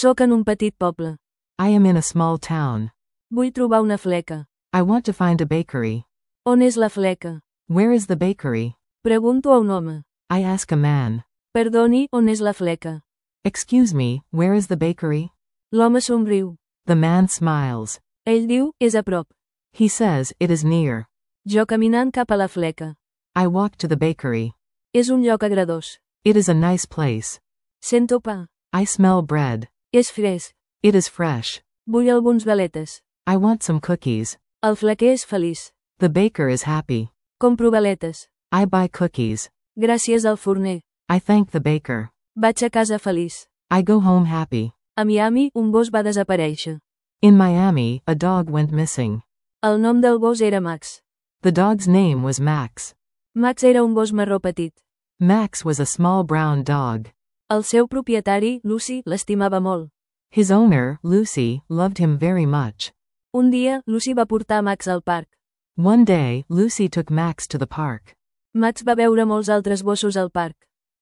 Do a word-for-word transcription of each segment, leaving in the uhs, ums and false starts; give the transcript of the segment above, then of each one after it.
Soc en un petit poble. I am in a small town. Vull trobar una fleca. I want to find a bakery. On és la fleca? Where is the bakery? Pregunto a un home. I ask a man. Perdoni, on és la fleca? Excuse me, where is the bakery? L'home somriu. The man smiles. Ell diu, és a prop. He says, it is near. Jo caminant cap a la fleca. I walk to the bakery. És un lloc agradós. It is a nice place. Sento pa. I smell bread. És fresc. It is fresh. Vull alguns galetes. I want some cookies. El flequer és feliç. The baker is happy. Compro galetes. I buy cookies. Gràcies al forner. I thank the baker. Vaig a casa feliç. I go home happy. A Miami, un gos va desaparèixer. In Miami, a dog went missing. El nom del gos era Max. The dog's name was Max. Max era un gos marró petit. Max was a small brown dog. El seu propietari, Lucy, l'estimava molt. His owner, Lucy, loved him very much. Un dia, Lucy va portar Max al parc. One day, Lucy took Max to the park. Max va veure molts altres gossos al parc.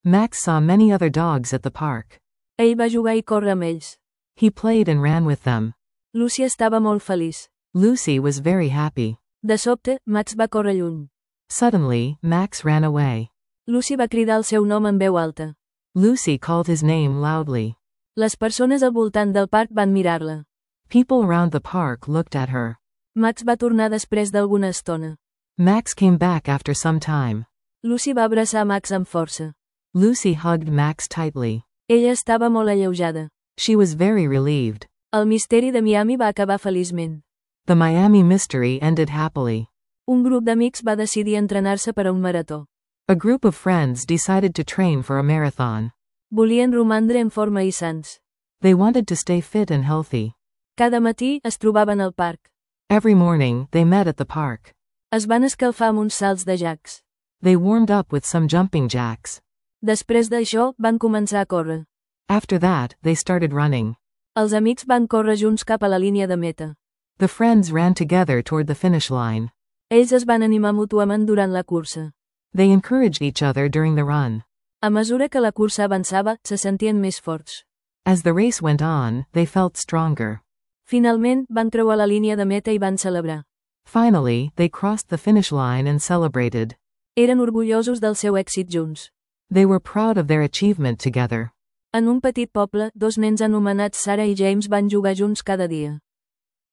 Max saw many other dogs at the park. Ell va jugar i córrer amb ells. He played and ran with them. Lucy estava molt feliç. Lucy was very happy. De sobte, Max va córrer lluny. Suddenly, Max ran away. Lucy va cridar el seu nom en veu alta. Lucy called his name loudly. Les persones al voltant del parc van mirar-la. People around the park looked at her. Max va tornar després d'alguna estona. Max came back after some time. Lucy va abraçar Max amb força. Lucy hugged Max tightly. Ella estava molt alleujada. She was very relieved. El misteri de Miami va acabar feliçment. The Miami mystery ended happily. Un grup d'amics va decidir entrenar-se per a un marató. A group of friends decided to train for a marathon. Volien romandre en forma i sans. They wanted to stay fit and healthy. Cada matí es trobaven al parc. Every morning, they met at the park. Es van escalfar amb uns salts de jacs. They warmed up with some jumping jacks. Després d'això, van començar a córrer. After that, they started running. Els amics van córrer junts cap a la línia de meta. The friends ran together toward the finish line. Ells es van animar mútuament durant la cursa. They encouraged each other during the run. A mesura que la cursa avançava, se sentien més forts. As the race went on, they felt stronger. Finalment, van creuar la línia de meta i van celebrar. Finally, they crossed the finish line and celebrated. Eren orgullosos del seu èxit junts. They were proud of their achievement together. En un petit poble, dos nens anomenats Sarah i James van jugar junts cada dia.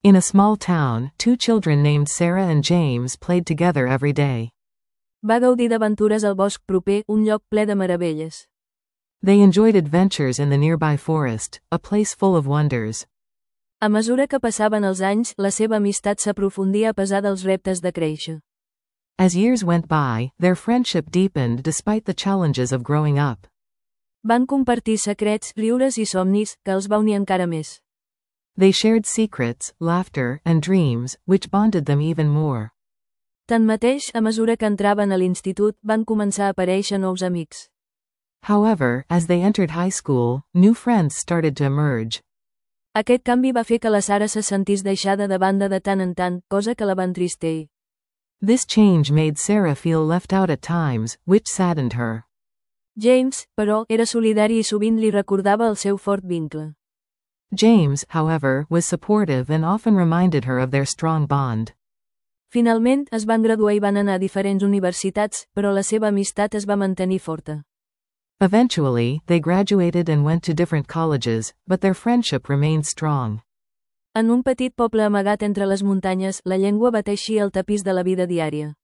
In a small town, two children named Sarah and James played together every day. Va gaudir d'aventures al bosc proper, un lloc ple de meravelles. They enjoyed adventures in the nearby forest, a place full of wonders. A mesura que passaven els anys, la seva amistat s'aprofundia a pesar dels reptes de créixer. As years went by, their friendship deepened despite the challenges of growing up. Van compartir secrets, riures i somnis, que els va unir encara més. They shared secrets, laughter, and dreams, which bonded them even more. Tanmateix, a mesura que entraven a l'institut, van començar a aparèixer nous amics. However, as they entered high school, new friends started to emerge. Aquest canvi va fer que la Sarah se sentís deixada de banda de tant en tant, cosa que la va entristir. This change made Sarah feel left out at times, which saddened her. James, però, era solidari i sovint li recordava el seu fort vincle. James, however, was supportive and often reminded her of their strong bond. Finalment, es van graduar i van anar a diferents universitats, però la seva amistat es va mantenir forta. Eventually, they graduated and went to different colleges, but their friendship remained strong. En un petit poble amagat entre les muntanyes, la llengua va teixir el tapís de la vida diària.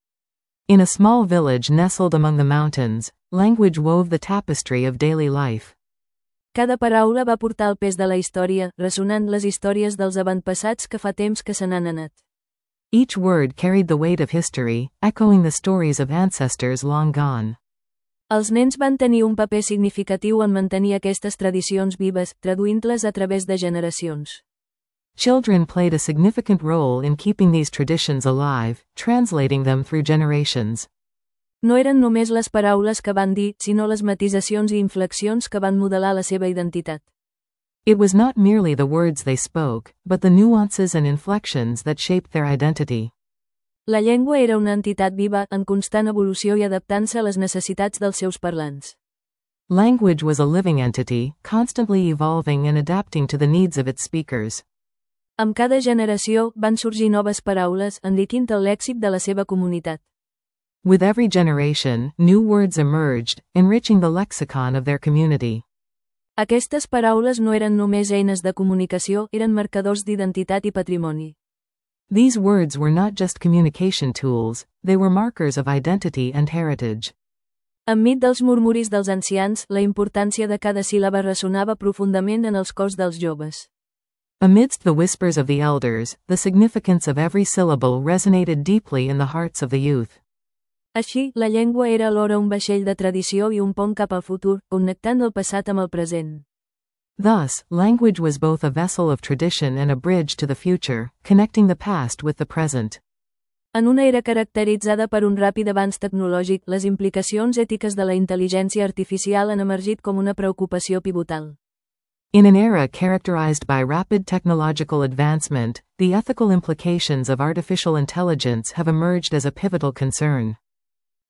In a small village nestled among the mountains, language wove the tapestry of daily life. Cada paraula va portar el pes de la història, ressonant les històries dels avantpassats que fa temps que se n'han anat. Each word carried the weight of history, echoing the stories of ancestors long gone. Els nens van tenir un paper significatiu en mantenir aquestes tradicions vives, traduint-les a través de generacions. Children played a significant role in keeping these traditions alive, translating them through generations. No eren només les paraules que van dir, sinó les matisacions i inflexions que van modelar la seva identitat. It was not merely the words they spoke, but the nuances and inflections that shaped their identity. La llengua era una entitat viva, en constant evolució i adaptant-se a les necessitats dels seus parlants. Language was a living entity, constantly evolving and adapting to the needs of its speakers. Amb cada generació van sorgir noves paraules, enriquint el lèxic de la seva comunitat. With every generation, new words emerged, enriching the lexicon of their community. Aquestes paraules no eren només eines de comunicació, eren marcadors d'identitat i patrimoni. These words were not just communication tools, they were markers of identity and heritage. Enmig dels murmuris dels ancians, la importància de cada síl·laba ressonava profundament en els cors dels joves. Amidst the whispers of the elders, the significance of every syllable resonated deeply in the hearts of the youth. Així, la llengua era alhora un vaixell de tradició i un pont cap al futur, connectant el passat amb el present. Thus, language was both a vessel of tradition and a bridge to the future, connecting the past with the present. En una era caracteritzada per un ràpid avanç tecnològic, les implicacions ètiques de la intel·ligència artificial han emergit com una preocupació pivotal. In an era characterized by rapid technological advancement, the ethical implications of artificial intelligence have emerged as a pivotal concern.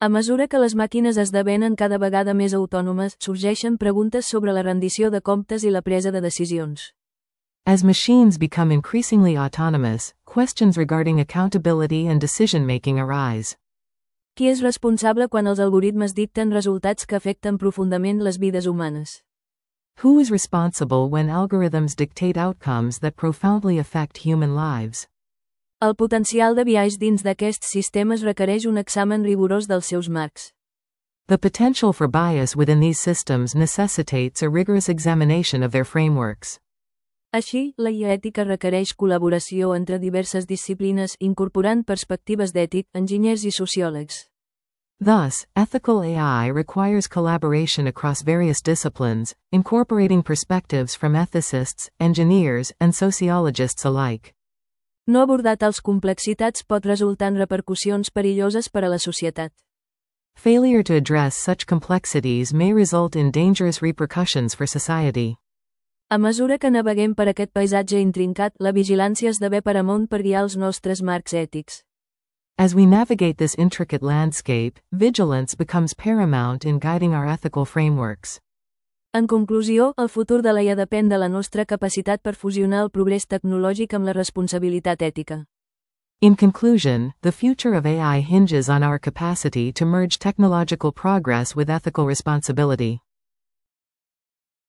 A mesura que les màquines esdevenen cada vegada més autònomes, sorgeixen preguntes sobre la rendició de comptes i la presa de decisions. As machines become increasingly autonomous, questions regarding accountability and decision-making arise. Qui és responsable quan els algoritmes dicten resultats que afecten profundament les vides humanes? Who is responsible when algorithms dictate outcomes that profoundly affect human lives? El potencial de biaix dins d'aquests sistemes requereix un examen rigorós dels seus marcs. The potential for bias within these systems necessitates a rigorous examination of their frameworks. Així, la I A ètica requereix col·laboració entre diverses disciplines, incorporant perspectives d'ètic, enginyers i sociòlegs. Thus, ethical A I requires collaboration across various disciplines, incorporating perspectives from ethicists, engineers, and sociologists alike. No abordar tals complexitats pot resultar en repercussions perilloses per a la societat. Failure to address such complexities may result in dangerous repercussions for society. A mesura que naveguem per aquest paisatge intrincat, la vigilància esdevé paramount per guiar els nostres marcs ètics. As we navigate this intricate landscape, vigilance becomes paramount in guiding our ethical frameworks. En conclusió, el futur de l'A I A depèn de la nostra capacitat per fusionar el progrés tecnològic amb la responsabilitat ètica. In conclusion, the future of A I hinges on our capacity to merge technological progress with ethical responsibility.